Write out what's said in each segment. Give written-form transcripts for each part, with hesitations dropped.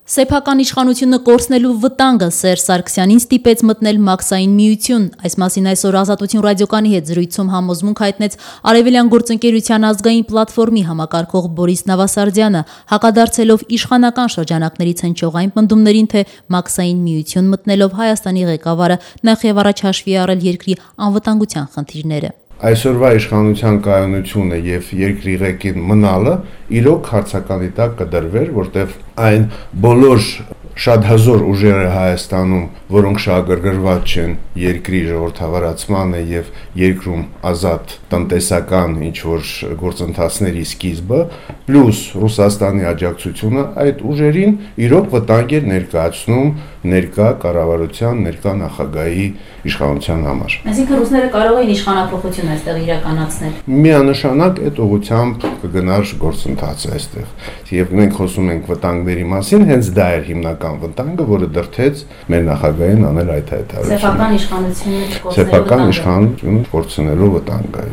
Սեփական իշխանությունը կորցնելու վտանգը Սերժ Սարգսյանին ստիպեց մտնել Մաքսային միություն։ Այս մասին այսօր Ազատություն ռադիոկայանի հետ զրույցում համոզմունք հայտնեց Արևելյան գործընկերության ազգային պլատֆորմի համակարգող Բորիս Նավասարդյանը, հակադարձելով իշխանական շրջանակներից հնչող այն պնդումներին, թե Մաքսային միություն մտնելով Հայաստանի ղեկավարը նախ եւ առաջ հաշվի առել երկրի անվտանգության խնդիրները։ Այսօրվա իշխանության կայունությունը եւ երկրի ղեկին մնալը իրոք հարցականի տակ կդրվեր, որտեղ այն բոլոր շատ հզոր ուժերը Հայաստանում, որոնք շահագրգռված չեն երկրի ժողովրդավարացմանը եւ երկրում ազատ տնտեսական ինչ-որ գործընթացների սկիզբը, պլյուս Ռուսաստանի աջակցությունը այդ ուժերին իրոք վտանգ էր ներկայացնում ներկա կառավարության, ներկա նախագահի իշխանության համար։ Այսինքն ռուսները կարող էին իշխանափոխություն այստեղ իրականացնել։ Միանշանակ այդ ուղղությամբ կգնար գործընթացը այստեղ։ Եվ մենք խոսում ենք վտանգների մասին, հենց դա էր հիմնական վտանգը, որը դրդեց մեր նախագահին անել այդ հայտարարությունը։ Սեփական իշխանությունը կորցնելու վտանգը։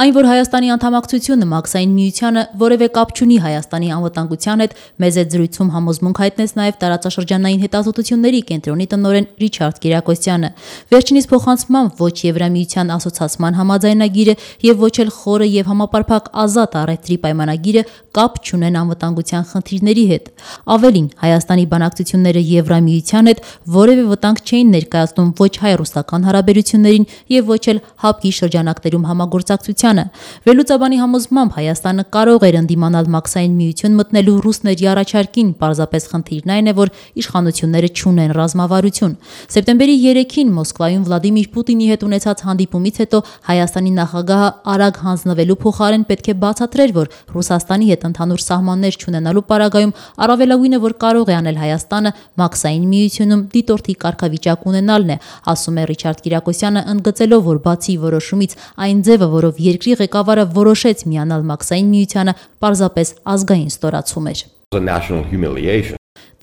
Այն, որ Հայաստանի անդամակցությունը Մաքսային միությանը որևէ կապ չունի Հայաստանի անվտանգության հետ, մեզ այդ զրույցում համոզմունք հայտնեց նաև տարածաշրջանային հետազոտությունների կենտրոնի տնօրեն Ռիչարդ Կիրակոսյանը։ Վերջինիս փոխանցմամբ ոչ Եվրամիության ասոցիացման համաձայնագիրը եւ ոչ էլ խորը եւ համապարփակ ազատ առևտրի պայմանագիրը կապ չունեն անվտանգության խնդիրների հետ։ Ավելին, Հայաստանի բանակցությունները Եվրամիության հետ որևէ վտանգ չէին ներկայացնում ոչ հայ-ռուսական հարաբերություններին եւ ոչ էլ ՀԱՊԿ-ի շրջանակներում համագործակցությանը։ Վերլուծաբանի համոզմամբ Հայաստանը կարող էր ընդդիմանալ Մաքսային միություն մտնելու ռուսների առաջարկին, պարզապես խնդիրն այն է, որ իշխանությունները չունեն ռազմավարություն։ Սեպտեմբերի 3-ին Մոսկվայում Վլադիմիր Պուտինի հետ ունեցած հանդիպումից հետո Հայաստանի նախագահը արագ հանձնվելու փոխարեն պետք է բացատրեր, որ Ռուսաստանի հետ ընդհանուր սահմաններ չունենալու պարագայում առավելագույնը, որ կարող է անել Հայաստանը, Մաքսային միությունում դիտորդի կարգավիճակ ունենալն է, ասում է Ռիչարդ Կիրակոսյանը, ընդգծելով, որ բացի որոշումից այն ձևը, որով երկրի ղեկավարը որոշեց միանալ Մաքսային միությանը, պարզապես ազգային ստորացում էր։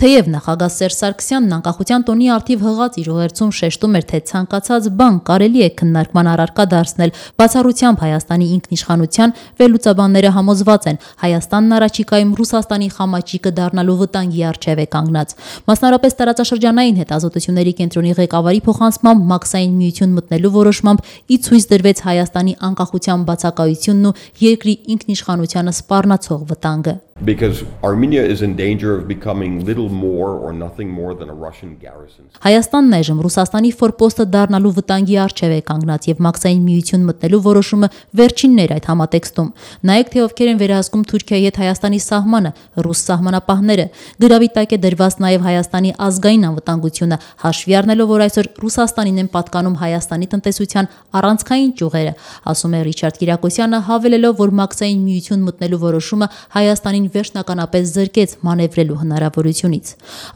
Թեև նախագահ Սերժ Սարգսյանն անկախության տոնի առթիվ հղած իր ուղերձում շեշտում էր, թե ցանկացած բան կարելի է քննարկման առարկա դարձնել բացառությամբ Հայաստանի ինքնիշխանության, վերլուծաբանները համոզված են, Հայաստանն առաջիկայում Ռուսաստանի խամաճիկը դառնալու վտանգի առջև է կանգնած։ Մասնավորապես տարածաշրջանային հետազոտությունների կենտրոնի ղեկավարի փոխանցմամբ Մաքսային միություն մտնելու որոշմամբ ի ցույց դրվեց Հայաստանի անկախության բացակայությունն ու երկրի ինքնիշխանությանը սպառնացող վտանգը։ Because Armenia is in danger of becoming little more or nothing more than a Russian garrison. Հայաստանն այժմ Ռուսաստանի ֆորպոստը դառնալու վտանգի առջև է կանգնած եւ Մաքսային միություն մտնելու որոշումը վերջինն էր այդ համատեքստում։ Նայեք, թե ովքեր են վերահսկում Թուրքիայի հետ Հայաստանի սահմանը, ռուս սահմանապահները։ Գրավի տակ է դրված նաեւ Հայաստանի ազգային անվտանգությունը, հաշվի առնելով, որ այսօր Ռուսաստանին են պատկանում Հայաստանի տնտեսության առանցքային ճյուղերը, ասում է Ռիչարդ Կիրակոսյանը, հավելելով, որ Մաքսային միություն մտնելու որոշումը Հայաստանին վերջնականապես զրկեց մանևրելու հնարավորությունից։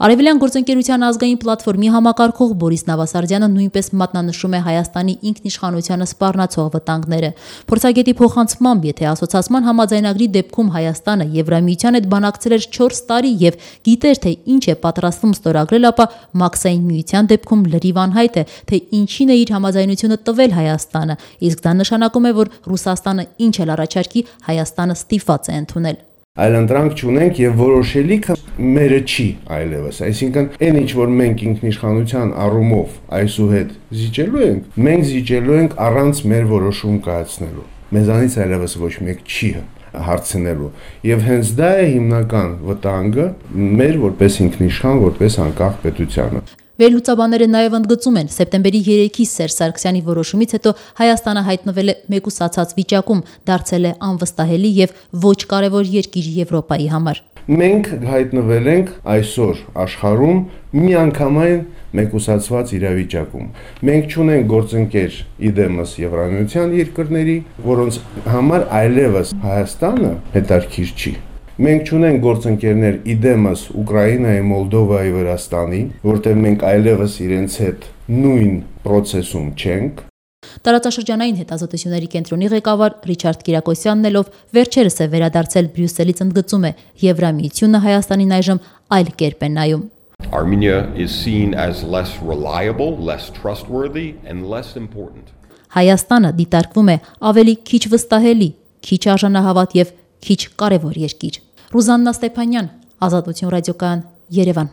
Արևելյան գործընկերության ազգային պլատֆորմի համակարգող Բորիս Նավասարդյանը նույնպես մատնանշում է Հայաստանի ինքնիշխանությանը սպառնացող վտանգները։ Փորձագետի փոխանցմամբ, եթե ասոցիացման համաձայնագրի դեպքում Հայաստանը Եվրամիության հետ բանակցել էր 4 տարի եւ գիտեր, թե ինչ է պատրաստվում ստորագրել, ապա Մաքսային միության դեպքում լրիվ անհայտ է, թե ինչին է իր համաձայնությունը տվել Հայաստանը, իսկ դա նշանակում է, որ Ռուսաստանը ինչ էլ առաջարկի, Հայաստանը ստիպված է ընդունել։ Այլընտրանք չունենք եւ որոշելիքը մերը չի այլևս, այսինքն այն ինչ որ մենք ինքնիշխանության առումով այսուհետ զիջելու ենք, մենք զիջելու ենք առանց մեր որոշում կայացնելու։ Մեզանից այլևս ոչ մեկ չի հարցնելու եւ հենց դա է հիմնական վտանգը մեր որպես ինքնիշխան, որպես անկախ պետությանը։ Վերլուծաբանները նաև ընդգծում են, սեպտեմբերի 3-ի Սերժ Սարգսյանի որոշումից հետո Հայաստանը հայտնվել է մեկուսացած վիճակում, դարձել է անվստահելի եւ ոչ կարևոր երկիր Եվրոպայի համար։ Մենք հայտնվել ենք այսօր աշխարհում միանգամայն մեկուսացված իրավիճակում։ Մենք չունենք գործընկեր իդեմս Եվրամիության երկրների, որոնց համար այլևս Հայաստանը հետաքրքիր չի։ Մենք չունենք գործընկերներ իդեմս Ուկրաինայի, Մոլդովայի, Վրաստանի, որտեղ մենք այլևս իրենց հետ նույն process-ում չենք։ Տարածաշրջանային հետազոտությունների կենտրոնի ղեկավար Ռիչարդ Կիրակոսյանն ելով վերջերս է վերադարձել Բրյուսելից ընդգծում է, Եվրամիությունը Հայաստանին այժմ այլ կերպ է նայում։ Armenia is seen as less reliable, less trustworthy and less important. Հայաստանը դիտարկվում է ավելի քիչ վստահելի, քիչ արժանահավատ եւ քիչ կարևոր երկիր։ Ռուզաննա Ստեփանյան, Ազատություն ռադիոկայան, Երևան։